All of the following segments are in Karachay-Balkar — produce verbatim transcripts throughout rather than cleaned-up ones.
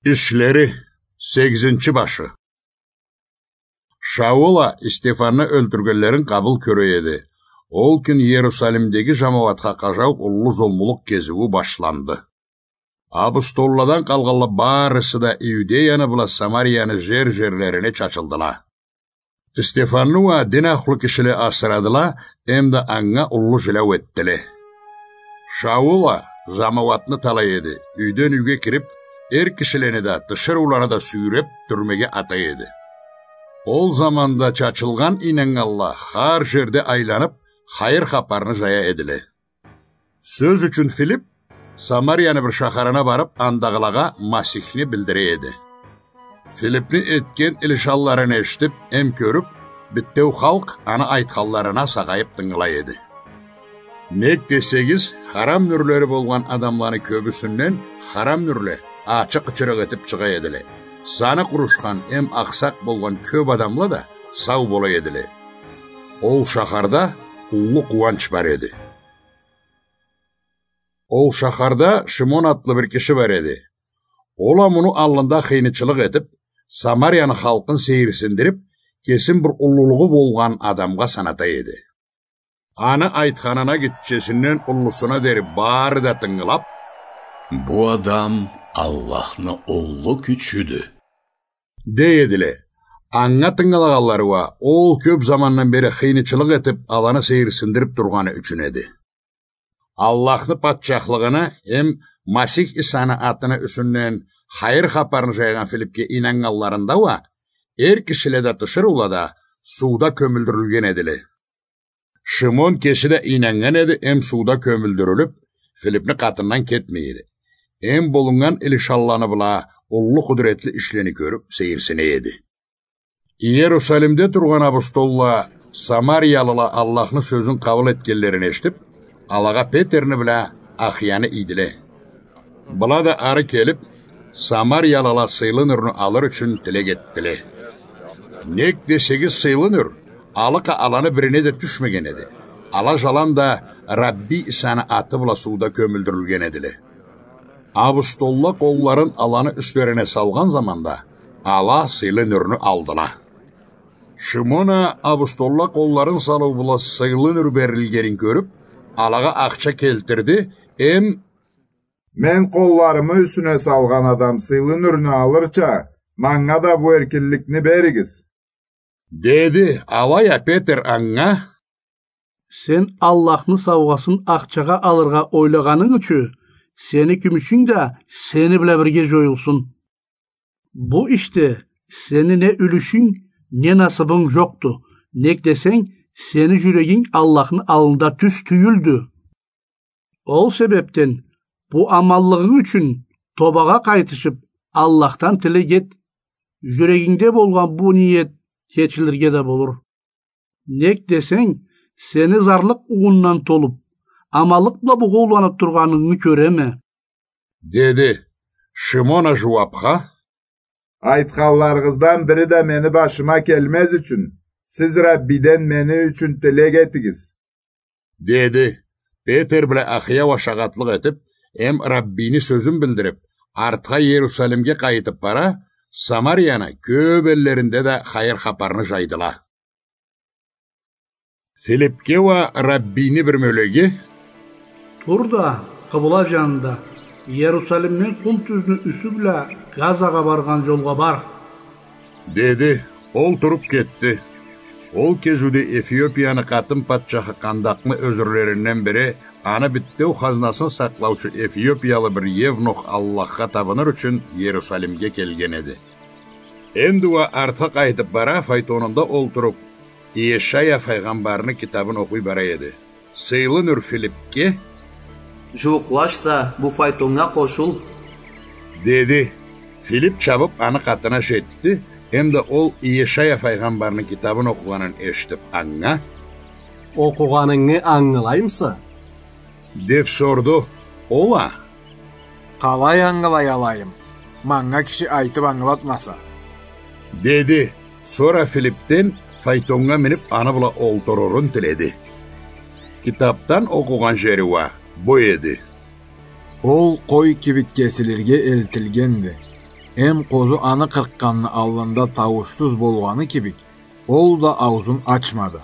Ишлери, сегизинчи башы. Шаул а Стефанны ёлтюргенлерин къабыл кёре эди. Ол кюн Иерусалимдеги жамауатха къажау уллу зулмулукъ кезиую башланды. Апостолладан къалгъанла барысы да Иудеяны бла Самарияны жер-жерлерине чачылдыла. Стефанны уа дин ахлу кишиле асырадыла, эмда анга уллу жиляу этдиле. Шаул а жамауатны талай эди, юйден юйге кирип, эр кишилени да, тиширыуланы да сюйреп, тюрмеге атай эди. Ол заманда чачылгъан ийнаннганла хар жерде айланып, хайыр хапарны жая эдиле. Сёз ючюн Филип Самарияны бир шахарына барып, андагъылагъа Масихни билдире эди. Филипни этген илишанларын эшитип эм кёрюп, битеу халкъ аны айтханларына сагъайып тынгылай эди. Нек десегиз, харам нюрлери болгъан адамланы кёбюсюнден харам нюрле ачыкъ-ычырыкъ этип чыгъа эдиле. Саны къурушхан эм акъсакъ болгъан кёп адамла да сау бола эдиле. Ол шахарда уллу къууанч бар эди. Ол шахарда Шимон атлы бир киши бар эди. Ол а муну аллында хыйнычылыкъ этип, Самарияны халкъын сейирсиндирип, кесин бир уллулугъу болгъан адамгъа саната эди. Аны айтханына гитчесинден уллусуна дери бары да тынгылап: «Бу адам Аллахны уллу кючюдю», — дей эдиле. Анга тынгылагъанлары уа ол кёп замандан бери хыйнычылыкъ этип, аланы сейирсиндирип тургъаны ючюн эди. Аллахны патчахлыгъыны эм Масих Исаны атыны юсюнден хайыр хапарны жайгъан Филипге ийнаннганларында уа эр кишиле да, тиширыула да сууда кёмюлдюрюлген эдиле. Шимон кеси да ийнаннган эди эм сууда кёмюлдюрюлюп, Филипни къатындан кетмей эди. Эм болуннган илишанланы бла уллу къудуретли ишлени кёрюп, сейирсине эди. Иерусалимде тургъан апостолла, самариялыла Аллахны сёзюн къабыл этгенлерин эшитип, алагъа Петерни бла Ахияны ийдиле. Была да ары келип, самариялыла сыйлы нюрню алыр ючюн тилек этдиле. Нек десегиз, сыйлы нюр алыкъа аланы бирине да тюшмеген эди. Ала жаланда Рабби Исаны аты бла сууда кёмюлдюрюлген эдиле. Апостолла къолларын аланы юслерине салгъан заманда, ала сыйлы нюрню алдыла. Шимон а апостолла къолларын салыу бла сыйлы нюр берилгенин кёрюп, алагъа ахча келтирди эм: «Мен къолларымы юсюне салгъан адам сыйлы нюрню алырча, манга да бу эркинликни беригиз», — деди. Алай а Петер анга: «Сен Аллахны саугъасын ахчагъа алыргъа ойлагъанынг ючюн, сени кюмюшюнг да сени бла бирге жоюлсун. Бу ишде сени не юлюшюнг, не насыбынг жокъду, нек десенг, сени жюрегинг Аллахны аллында тюз тюйюлдю. Ол себепден бу аманлыгъынг ючюн тобагъа къайтышып, Аллахдан тилек эт, жюрегингде болгъан бу ниет кечилирге да болур. Нек десенг, сени зарлыкъ угъундан толуп, аманлыкъ бла бугъоуланып тургъанынгы кёреме», — деди. Шимон а жууапха: «Айтханларыгъыздан бири да мени башыма келмез ючюн, сиз Раббиден мени ючюн тилек этигиз», — деди. Петер бла Ахия уа шагъатлыкъ этип, эм Раббини сёзюн билдирип, артха Иерусалимге къайтып бара, Самарияны кёп эллеринде да хайыр хапарны жайдыла. Филипге уа Раббини бир мёлеги: «Тур да, къыбла жанында, Иерусалимден къум тюзню юсю бла Газагъа баргъан жолгъа бар», — деди. Ол туруп кетди. Ол кезиуде Эфиопияны къатын патчахы Къандакъны ёзюрлеринден бири аны битеу хазнасын сакълаучу эфиопиялы бир евнух Аллахха табыныр ючюн Иерусалимге келген эди. Энди уа артха къайтып бара, файтонунда олтуруп, Иешая файгъамбарны китабын окъуй бара эди. Сыйлы нюр Филипге: «Жууукълаш да, бу файтоннга къошул», — деди. Филип чабып аны къатына жетди, эмда ол Иешая файгъамбарны китабын окъугъанын эшитип анга: «Окъугъанынгы ангылаймыса?» — деп сорду. Ол а: «Къалай ангылай алайым, манга киши айтып ангылатмаса?» — деди. Сора Филипден файтоннга минип, аны бла олтурурун тиледи. Китапдан окъугъан жери уа бу эди: «Ол къой кибик кесилирге элтилгенди. Эм къозу аны къыркъгъанны аллында тауушсуз болгъаны кибик, ол да ауузун ачмады.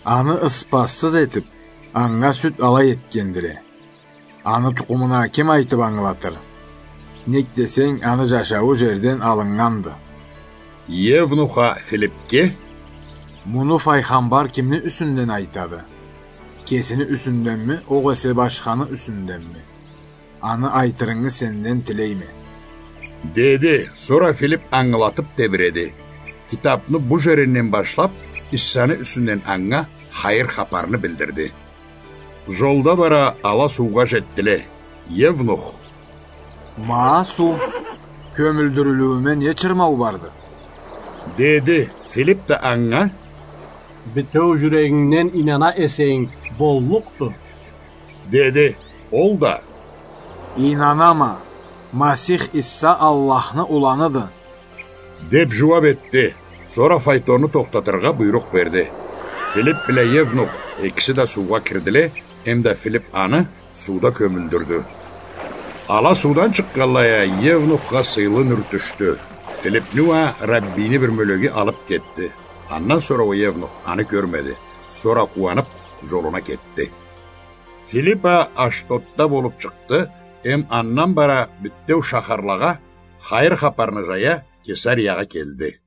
Аны ыспассыз этип, анга сют алай этгендиле. Аны тукъумуна ким айтып ангылатыр? Нек десенг, аны жашауу жерден алыннганды. Евнух а Филипге: Муну файгъамбар кимни юсюнден айтады? Кесини юсюнденми, огъесе башханы юсюнденми? Аны айтырынгы сенден тилейме, — деди. Сора Филип ангылатып тебиреди. Китапны бу жеринден башлап, Иссаны юсюнден анга хайыр хапарны билдирди. Жолда бара ала суугъа жетдиле. Евнух: Ма суу, кёмюлдюрюлюуюме не чырмау барды? — деди. Филип да анга: Битеу жюрегингден ийнана эсенг, боллукъду, — деди. Ол да: Ийнанама, Масих Исса Аллахны уланыды, — деп жууап этди. Сора файтонну тохтатыргъа буйрукъ берди. Филип бла Евнух экиси да суугъа кирдиле, эмда Филип аны сууда кёмюлдюрдю. Ала суудан чыкъгъанлай а Евнухха сыйлы нюр тюшдю. Филипни уа Раббини бир мёлеги алып кетди. Андан сора уа Евнух аны кёрмеди. Сора къууанып, жолуна кетди. Филип а Ашдодда болуп чыкъды, эм андан бара битеу шахарлагъа хайыр хапарны жая Кесариягъа келди.